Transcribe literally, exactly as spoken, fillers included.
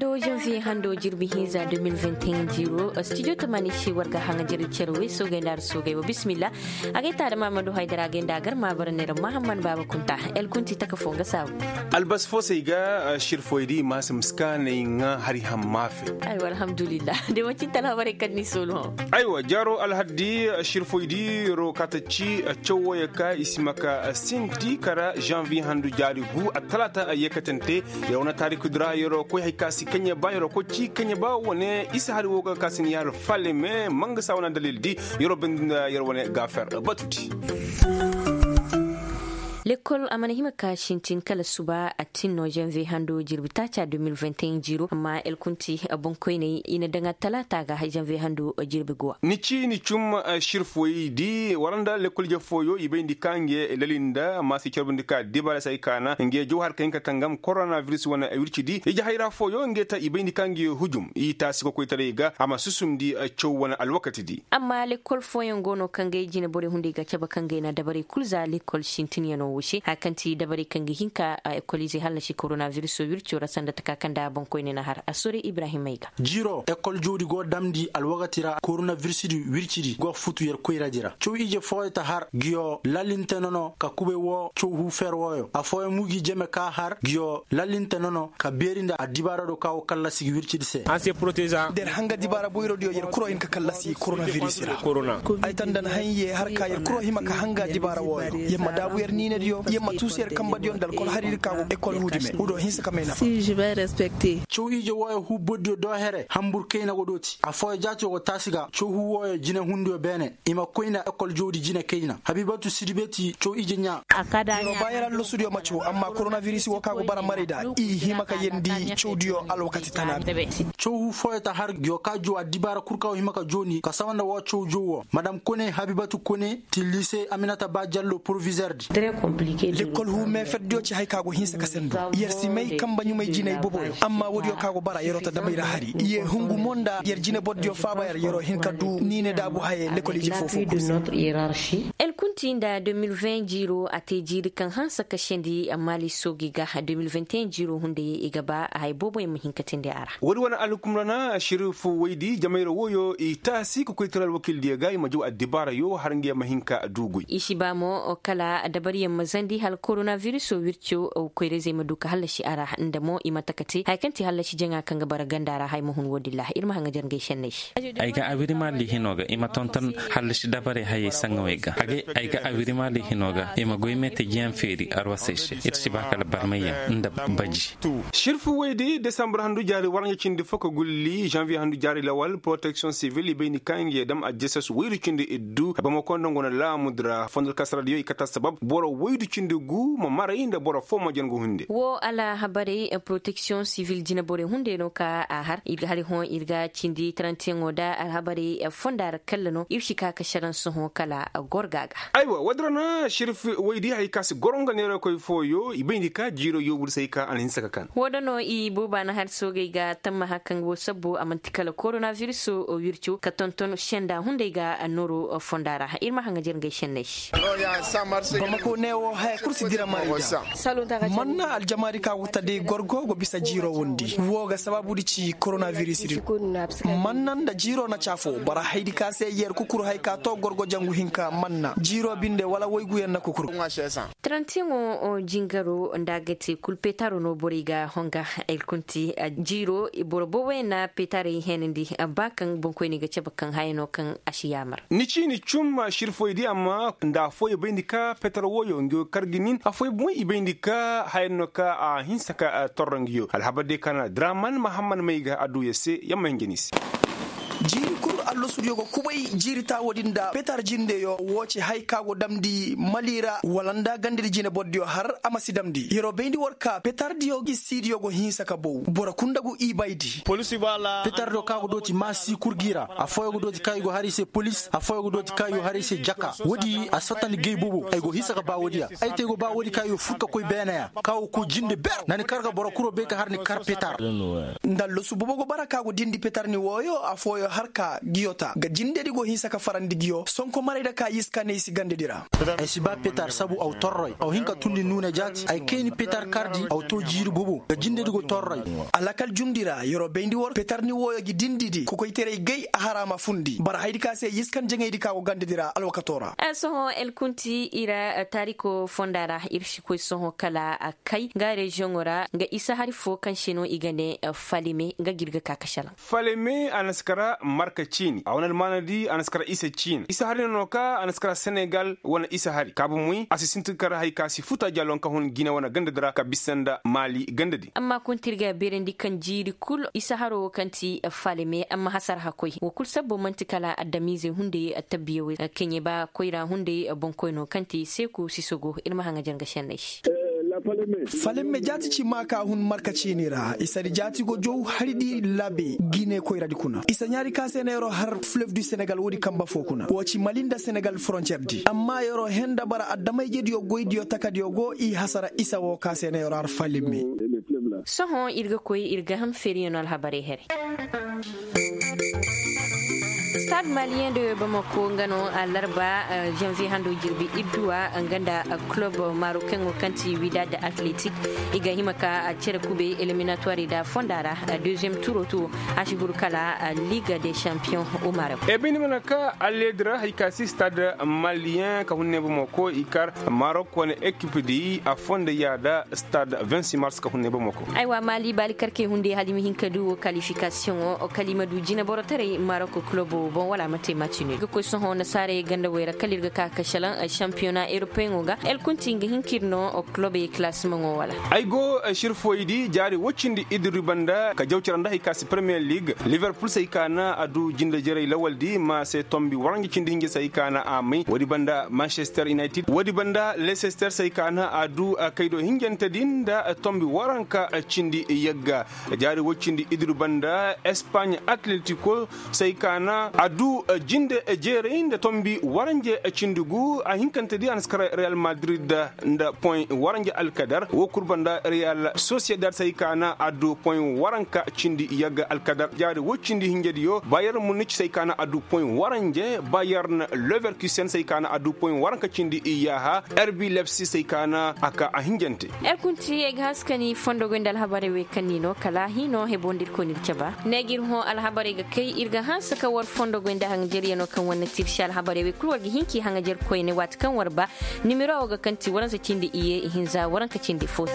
Do janviye hando jirbi hinza deux mille vingt et un jiiro studio tamaani se war ga haŋa jari care wey soogay nda ar soogay wa bismillah. A gay ta da maamadu haydara a gay nda a gar ma bara neera mahamman baaba kunta. El kunti taka fo nga saabu. Albas fo se ay ga shirfoy di maasa miskaanay ŋa hari hamma fe. Aywa alhamdulillah. De manci talhabaray kaŋ ni soolu hõ. Aywa jaaro alhaddi shirfoy di ro ka ta ci caw wooyo ka i si ma ka sinti kara janviye handu jaari gu attalaata a yeekatante. Yer wane taariku di ra yer wo koy hari ka si kaŋ yer ba yer wo koy ci kaŋ yer ba wane isa hari wo ga ka si ni yer falle me mangasa wane dalil di. Yer wo bindi nda yer wane gaafer batu di. Lekkol a mana hima ka sintin kala suba a tin no janviye hando jirbi taaca deux mille vingt et un jiiro amma el kunti boŋkoyney i na daŋ attalaata ga janviye hando jirbi guwa. Ni ci ni cum shirfoy di wala nda lekkol je fooyo i bayndi ka nge lali nda maasi carbandi ka dibaara se ay kaana nge jaw har ka hin ka tangam koronabiris wane wirci di ije hayra fooyo nge ta i bayndi ka nge hujum i taasi kokoytaray ga a ma susundi caw wane alwakati di. Amma lekkol fooyaŋ go no kaŋ gay jine borey hunday ga cabe kaŋ gay na dabarey kulu za lekkol sintinyaŋo wo se haya kaŋ ti dabarey kaŋ ga hin ka ekoliizey hallasi koronabiris wirco ra sanda taka kaŋ nda boŋkoyne na har a sore ibrahim ay ga. Jiiro ekol jawdi go damndi alwakati ra koronabiris di wirci di go futu yer koyra di ra caw ije fooyo ta har ngiyo lalinte nono ka kubay wo caw huu fer wooyo affooyaŋ mo gi jeme ka har ngiyo lalinte nono ka beeri nda addibaara do ka wo kallasi gi wirci di se. Da yer hanga dibaara boyro diyo yer kuro hin ka kallasi koronabiris ra. Ay ta nda na haŋ ye har ka yer kuro hima ka hanga dibaara wooyo yer ma daabu yer niine diyo yer ma tuusu yer kambe diyo nda alkol hariri ka go ekol huudi me wo do hinsa ka may nafa. Caw ije wooyo huu bordiyo do here hambur kayna go dooti affooyaŋ jaatiyo go taasi ga caw huu wooyo jinehundiyo beene i ma koy nda ekol jawdi jine kayna habibatu sidibeti caw ije ɲaa. Yer wo ba yer allasudiyo ma caw amma koronabiris wo ka go bara maray nda i hima ka yeendi cawdiyo alwakati tana. Caw huu fooyo ta har ngiyo ka jaw addibaara kul ka go hima ka jooni ka sawa nda woo caw jaw woo madam kone habibatu kone ti liise aminata ba jallo porovizer di. Lekkol huu meeferdiyo ci haya ka go hinsa ka sendu yer si may kambe ɲumay jinay boboyo amma woodiyo ka go bara yeroo ta damay ra hari ye hungu mo nda yer jine bordiyo faaba yer yeroo hin ka du niine daabu haye lekkol ije foo foo kul se. El kunti nda deux mille vingt jiiro a te jiiri kaŋ hanse ka sendi maali soogi ga deux mille vingt et un jiiro hunday i ga ba haya booboyaŋ ma hin ka teendi a ra. Woodi wane alhukumra na shirif woydi jamayra wooyo i taasi ka koy tara alwakiildiyo ga i ma jaw addibaarayo har nga yaŋ ma hin ka du goy i si ba mo kala dabariyaŋ ma zandi hala koronabiris wirco koyra-izey ma du ka hallasi a ra nda mo i ma taka te haya kaŋ ti hallasi jaŋa kaŋ ga bara ganda ra haya ma hun woodin ra ir ma haŋajer ngey senney se. Ay ga awirimaali hino ga i ma tonton hallasi dabarey hayey saŋawey ga a ga ay ga awirimaali hino ga i ma goy meetejiyaŋ feeri arwasey se ir si ba kala barmayyaŋ nda baji. Sirfu woy di desambur handu jaari waranja cindi fo ka gulli janviye handu jaari lawal poroteksiyoŋ sivil i bay ni kaŋ nge dam aljasas woydu cindi iddu bamako nda ngu na laamu dira fondor kasaradiyo i kata sabab boro woydu cindi gu ma maray nda boro fo ma jan gu hunde. Wo alhabarey poroteksiyoŋ sivil jinaborey hunde no ka a har ir ga hari hõ ir ga cindi tarantiyaŋo da alhabarey fonda ra kalla no ir si ka ka saran sohõ kala gorga ga. Aywa wadara na sirfu woy di hari ka si goro nga neerakoy fooyo i bay ni ka jiiro yoobu di se ay ka a na hinsa ka kan. Wo da no i booba na har soogey ga tammaha kaŋ wo sabbo a manti kala koronaviris wirco ka tonton senda hunday ga nooro fonda ra ir ma haŋajer ngey senney. Bamako ne wo haya kul si dira marayda. Manna aljamaari ka go ta day gorgo go bisa jiiro wondi wo ga sabaabu di ci koronaviris din. Manna nda jiiro na caafo bara haydi ka se yer kukur hay ka to gorgo jangu hinka manna jiiro binde wala wayguyaŋ na kukur. Tarantiyaŋo jingaro nda a ga te kul petaro no borey ga honga. Ay kunti jiiro boro booboyaŋ na petarey heenandi ba kaŋ boŋkoyney ga cabe kaŋ haya no kaŋ a si yaamar. Ni ci ni cum sirfoy di amma nda afooyaŋ bay ni ka petar wooyo ngi kar ga nin afooyaŋ boŋ i bay ni ka haya no ka a hinsa ka torro ngi yo alhabar day ka na draman mahamman may ga adduya se yamma hinja ni se. Jiiri kul allasudiyo ga kubay jiiri taawo din nda petar jindeyo wo ci hay ka go damndi mali ra wala nda gandadi jine bordiyo har a ma si damndi yeroo bayndi war ka petardiyo gi siidiyo go hinsa ka bow boro kul nda gu ibaydi. Petardiyo ka go dooti maasi kul gi ra afooyaŋ go dooti ka i go har i se polis afooyaŋ go dooti ka i go har i se jaka woodi a si fattandi gay boobo ay go hinsa ka ba woodiya. Ay te ay go ba woodi ka i go fur ka koy beeneya ka go koy jinde ber na ni kar ga boro kul wo bay ka har ni kar petar. Nda losu boobo go bara ka go dindi petar ni wooyo afooyaŋ har ka Yota ga jindedi go hinsa ka farandi giyo sonko maray da ka yiskaney si gandedi ra. Ay si ba petar sabu aw torroy aw hin ka tundi nuuna jaati ay kayni petar kardi aw to jiiri bobo ga jindedi go torroy. Alakal jumdi ra yer'o bayndi war petar ni wooyo gi dindidi kokoytaray gay a hara ma fundi bara haydi ka se yiskan jaŋaydi ka go gandedi ra alwakato ra. Sohõ el kunti i ra taariko fonda ra ir si koy sohõ kala a kay nga reziyoŋo ra nga isa hari fo kaŋ se no i ga ne falime nga ga ir ga ka ka salaŋ. Faleme a na si kara marka ciini a wane almaanadi a na si kara isa ciini isa hari no no ka a na si kara senegal wane isa hari kaabu muy a si sinti ga kara hari ka si futa jalon ka hun gine wane gandadi ra ka bisa nda maali gandadi. Amma kuntirga beerandi kaŋ jiiri kul isa haro wo kaŋ ti faleme amma hasar hakoy wo kul sabbo man'ti kala adamiizey hunday tabbiyawey kaŋ ye ba koyra hunday boŋkoy no kaŋ ti seeku sisogo ir ma haŋajar ga senney se. Falemme jaati ci ma ka hun marka ciini ra isa di jaati go jow hari di labe gine koyradi kuna isa ɲaari ka se na yer'o har fleuve du senegal woodi kamba fo kuna wo ci mali nda senegal frontier di amma yer'o henda bara adama-ijediyo goydiyo takadiyo go i hasara isa wo ka se na yer'o har falemme. Sohõ ir ga koy ir ga ham feeriyo no alhabarey here. Stade malien de bamako nga no alarba janvier hando jirbi idduwa nga nda club marocain wo kaŋ ti widad athletic i ga hima ka cere kube eliminatoire da fonda ra deuxième tour to a si huru kala ligue des champions au maroc. E bindi mana ka alledira hari ka si stade malien ka hunne bamako i kar maroc wane ekip di a fonda yaada stade vingt-six mars ka hunne bamako. Aywa mali baali karkey hunde hala i ma hin ka du wo kalifikasiyoŋo kala i ma du jineborotaray marok kulobo boŋ wala a ma te maci no i ga koy sohõ nasaarey ganda wey ra kala ir ga ka ka salaŋ shampiyona eropeyoŋo ga el kunti nga hin ka ir no kulobey kilasimaŋo wala. Ay go sirfoydi jaari woy cindi iddu ribanda ka jaw cara nda hay ka si premiyer lig liverpul se hay ka na a du jinde jerey lawaldi ma se tombi waranja cindi hinja se hay ka na a may woodi banda manchester united woodi banda leicester se hay ka na a du kaydo hinjante din nda tombi waranka cindi yagga. Jaari woy cindi iddu banda espagne atletico se hay ka na a du jinde jeerey nda tombi waranja cindi gu a hinkante di a na si kar real madrid nda point waranja alkadar wo kul banda real sociedad se hay ka na a du point waranka cindi yagga alkadar jaari woy cindi hinjadiyo bayer munic se hay ka na a du point waranja bayern leverkusen se hay ka na a du point waranka cindi iyaha rb lepsi se hay ka na a ka a hinjante. Yer kunti ay ga hanse ka ni fondogoy nda alhabarey wey kaŋ ni no kala hino hebo nda ir koy n'ir caba ne ga ir hõ alhabarey ga kay ir ga hanse ka war fondogoy nda haŋajeryaŋo kaŋ war na tirsi alhabarey wey kulu war ga hin k'i haŋajer koyne waati kaŋ war ba. Nimero wo ga kaŋ ti waransa cindi iye ihinza waranka cindi fo.